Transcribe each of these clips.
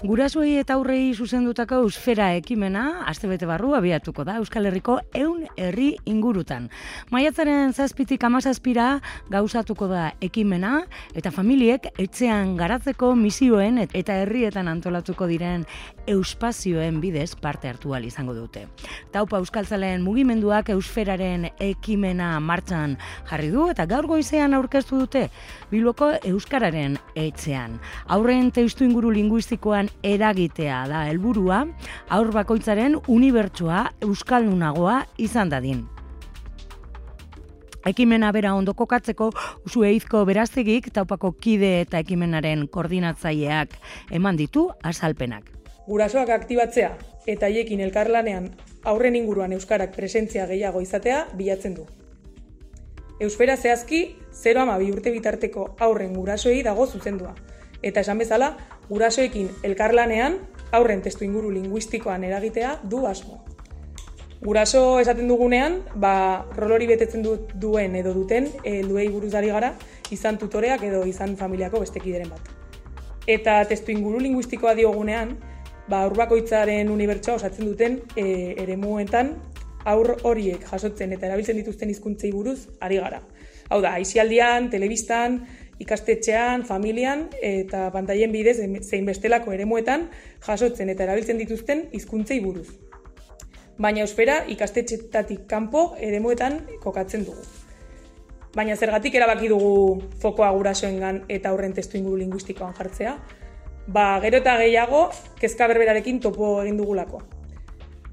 Gurasoei eta aurrei zuzendutako Eusfera ekimena astebete barru abiatuko da Euskal Herriko 100 herri ingurutan. Maiatzaren 7tik 17ra gauzatuko da ekimena eta familiek etxean garatzeko misioen eta herrietan antolatuko diren euspazioen bidez parte hartu ahal izango dute. Taupa Euskaltzaleen mugimenduak Eusferaren ekimena martxan jarri du eta gaur goizean aurkeztu dute Bilboko Euskararen etxean. Aurren testuinguru linguistikoan eragitea da helburua, haur bakoitzaren unibertsoa euskaldunagoa izan dadin. Ekimena bera ondo kokatzeko Usue Izko Beraztegik Taupako kide eta ekimenaren koordinatzaileak eman ditu azalpenak. Gurasoak aktibatzea eta haiekin elkarlanean aurren inguruan euskarak presentzia gehiago izatea bilatzen du. Eusfera zehazki 0-12 urte bitarteko aurren gurasoei dago zuzendua. Eta esan bezala, gurasoekin elkarlanean aurren testuinguru linguistikoan eragitea du asmo. Guraso esaten dugunean, rol hori betetzen duen edo duten helduei buruz ari gara, izan tutoreak edo izan familiako beste kideren bat. Eta testuinguru linguistikoa diogunean, haur bakoitzaren unibertsoa osatzen duten eremuetan haur horiek jasotzen eta erabiltzen dituzten hizkuntzei buruz ari gara. Hau da, aisialdian, telebistan, ikastetxean, familian eta pantailen bidez zein bestelako eremuetan jasotzen eta erabiltzen dituzten hizkuntzei buruz. Baina eusfera ikastetxetatik kanpo eremuetan kokatzen dugu. Baina zergatik erabaki dugu fokoa gurasoengan eta aurren testuinguru linguistikoan jartzea? Gero eta gehiago kezka berberarekin topo egin dugulako.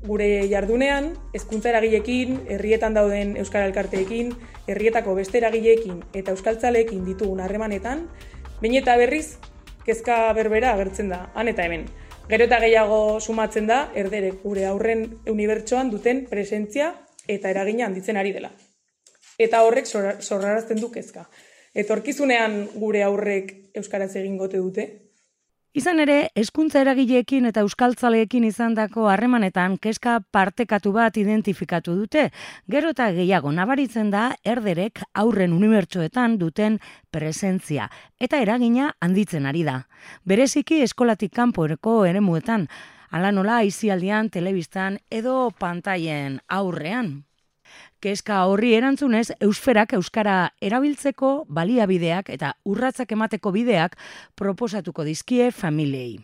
Gure jardunean, hezkuntza eragileekin, herrietan dauden euskara elkarteekin, herrietako beste eragileekin eta euskaltzaleekin ditugun harremanetan, behin eta berriz kezka berbera agertzen da, han eta hemen. Gero eta gehiago sumatzen da, erderek gure aurren unibertsoan duten presentzia eta eragina handitzen ari dela. Eta horrek sorrarazten du kezka. Etorkizunean gure aurrek euskaraz egingote dute? Izan ere, hezkuntza eragileekin eta euskaltzaleekin izandako harremanetan kezka partekatu bat identifikatu dute. Gero eta gehiago nabaritzen da erderek aurren unibertsoetan duten presentzia eta eragina handitzen ari da. Bereziki eskolatik kanporeko eremuetan, hala nola aisialdian, telebistan edo pantailen aurrean. Kezka horri erantzunez, eusferak euskara erabiltzeko baliabideak eta urratsak emateko bideak proposatuko dizkie familiei.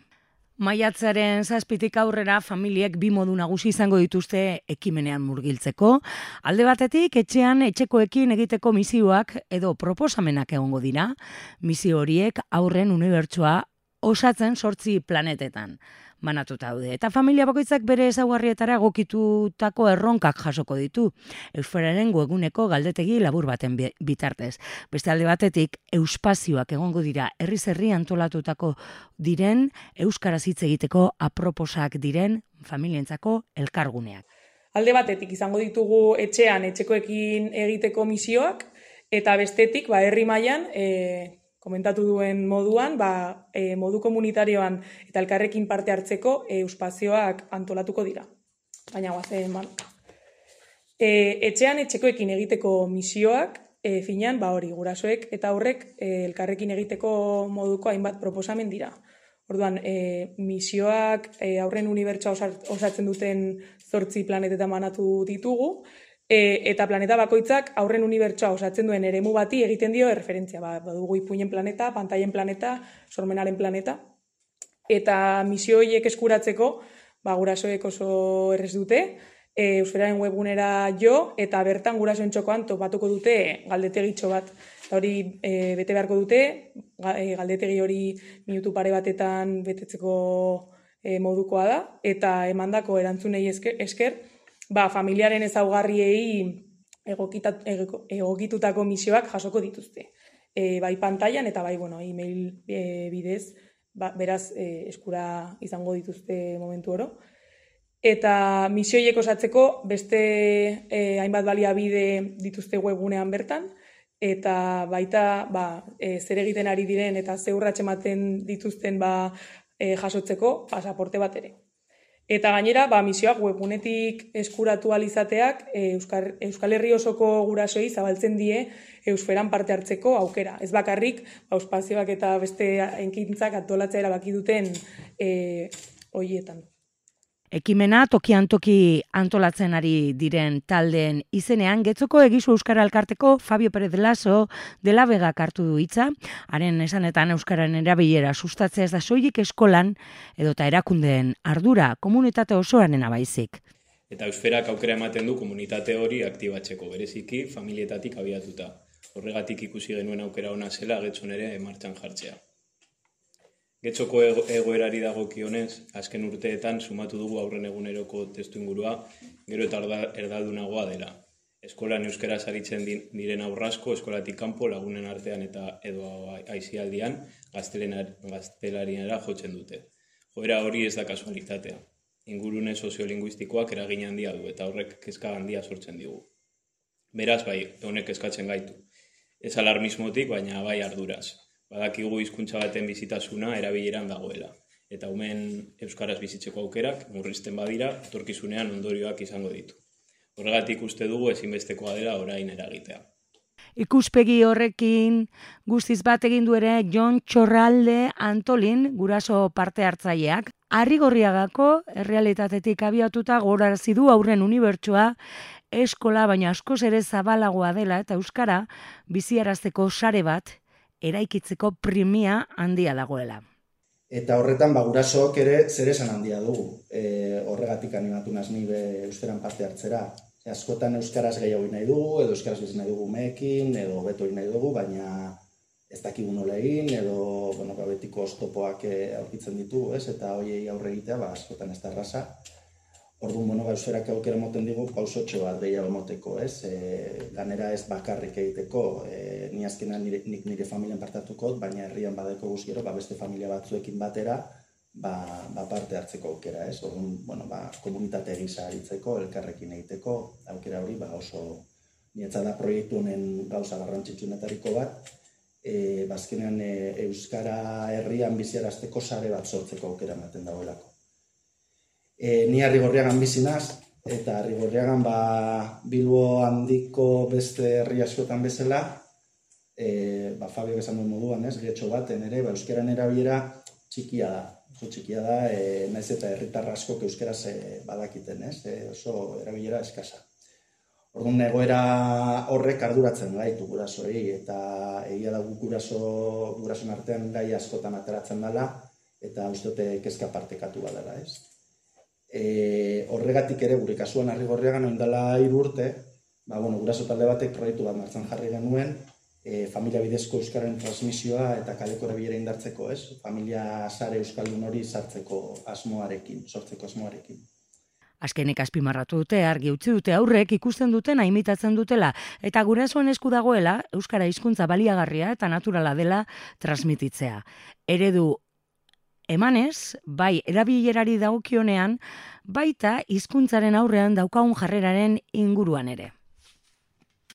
Maiatzaren 7tik aurrera familiek bi modu nagusi izango dituzte ekimenean murgiltzeko. Alde batetik, etxean etxekoekin egiteko misioak edo proposamenak egongo dira. Misio horiek aurren unibertsoa osatzen 8 planetetan banatuta daude. Eta familia bakoitzak bere ezaugarrietara egokitutako erronkak jasoko ditu. Eusferaren webguneko galdetegi labur baten bitartez. Beste alde batetik, euspazioak egongo dira herriz herri antolatutako diren, euskaraz hitz egiteko aproposak diren familientzako elkarguneak. Alde batetik izango ditugu etxean etxekoekin egiteko misioak, eta bestetik herri mailan komentatu duen moduan, modu komunitarioan eta elkarrekin parte hartzeko euspazioak antolatuko dira. Baina guazen, etxean etxekoekin egiteko misioak, finean, hori, gurasoek eta aurrek elkarrekin egiteko moduko hainbat proposamen dira. Orduan, misioak aurren unibertsoa osatzen duten 8 planetetan banatu ditugu, eta planeta bakoitzak aurren unibertsoa osatzen duen eremu bati egiten dio erreferentzia. Badugu Ipuinen planeta, Pantailen planeta, Sormenaren planeta. Eta misio horiek eskuratzeko, gurasoek oso errez dute, Eusferaren webgunera jo, eta bertan gurasoen txokoan topatuko dute galdetegitxo bat. Hori bete beharko dute, galdetegi hori minutu pare batetan betetzeko modukoa da, eta emandako erantzunei esker, familiaren ezaugarriei egokitutako misioak jasoko dituzte. Bai pantailan eta bai email bidez, beraz eskura izango dituzte momentu oro. Eta misioiek osatzeko beste hainbat baliabide dituzte webgunean bertan, eta baita zer egiten ari diren eta ze urrats ematen dituzten jasotzeko pasaporte bat ere. Eta gainera, misioak webgunetik eskuratu alizateak Euskal Herri osoko gurasoei zabaltzen die eusferan parte hartzeko aukera. Ez bakarrik, espazioak eta beste enkintzak antolatzea erabaki duten horietan. Ekimena tokian toki antolatzen ari diren taldeen izenean, Getzoko Egizu Euskara Elkarteko Fabio Pérez Laso de la Vega hartu du hitza, haren esanetan euskararen erabilera sustatzea ez da soilik eskolan edota erakundeen ardura, komunitate osoarena baizik. Eta eusferak aukera ematen du komunitate hori aktibatzeko, bereziki familietatik abiatuta. Horregatik ikusi genuen aukera ona zela Getzon ere martxan jartzea. Getzoko egoerari dagokionez, azken urteetan sumatu dugu aurren eguneroko testuingurua, gero eta erdaldunagoa dela. Eskolan euskaraz aritzen diren aurrasko, eskolatik kanpo lagunen artean eta edo aisialdian gaztelaniara jotzen dute. Joera hori ez da kasualitatea. Ingurune soziolinguistikoak eragin handia du eta horrek kezka handia sortzen digu. Beraz, honek kezkatzen gaitu. Ez alarmismotik, baina bai arduraz. Badakigu hizkuntza baten bizitasuna erabileran dagoela. Eta umeen euskaraz bizitzeko aukerak, murrizten badira, etorkizunean ondorioak izango ditu. Horregatik uste dugu ezinbestekoa dela orain eragitea. Ikuspegi horrekin guztiz bat egin du ere Jon Txorralde Antolin, guraso parte hartzaileak. Arrigorriagako errealitatetik abiatuta gogorarazi du aurren unibertsoa eskola baina askoz ere zabalagoa dela eta euskara biziarazteko sare bat eraikitzeko primia handia dagoela. Eta horretan gurasook ere zeresan handia dugu. Horregatik animatu naiz ni euskaran parte hartzera. Askotan euskaraz gehiago nahi dugu, edo euskaraz bizi nahi dugu umeekin, edo beto nahi dugu, baina ez dakigu nola egin, edo betiko oztopoak aurkitzen ditugu, ez? Eta horiei aurre egitea askotan ez da erraza. Orduan, euskarak aukera moten digu pausotxo bat gehiago moteko, ez? Ganera ez bakarrik egiteko, ni azkenan nik nire familian partatuko, baina herrian badeko guztiero, beste familia batzuekin batera, parte hartzeko aukera, ez? Orduan, komunitate gisa aritzeko, elkarrekin egiteko, aukera hori oso niretzat da proiektu honen gauza garrantzitsuenetariko bat, azkenean euskara herrian biziarazteko sare bat sortzeko aukera ematen dagoelako. Ni Arrigorriagan bizi naiz, eta Arrigorriagan Bilbo handiko beste herri askotan bezala, Fabio esan duen moduan, Getxo baten ere, euskararen erabilera txikia da. Oso txikia da, naiz eta herritar askok euskaraz badakiten, oso erabilera eskasa. Orduan egoera horrek arduratzen gaitu gurasoei, eta egia da gurasoen artean gai askotan ateratzen dela, eta uste dute kezka partekatu badela, ez? Horregatik ere gure kasuan Arrigorriagan orain dela 3 urte, guraso talde batek proiektu bat martxan jarri genuen, familia bidezko euskararen transmisioa eta kaleko erabilera indartzeko, ez? Familia sare euskaldun hori sortzeko asmoarekin. Azkenik azpimarratu dute, argi utzi dute aurrek ikusten dutena imitatzen dutela eta gurasoen esku dagoela euskara hizkuntza baliagarria eta naturala dela transmititzea. Eredu emanez, bai erabilerari dagokionean, baita hizkuntzaren aurrean daukagun jarreraren inguruan ere.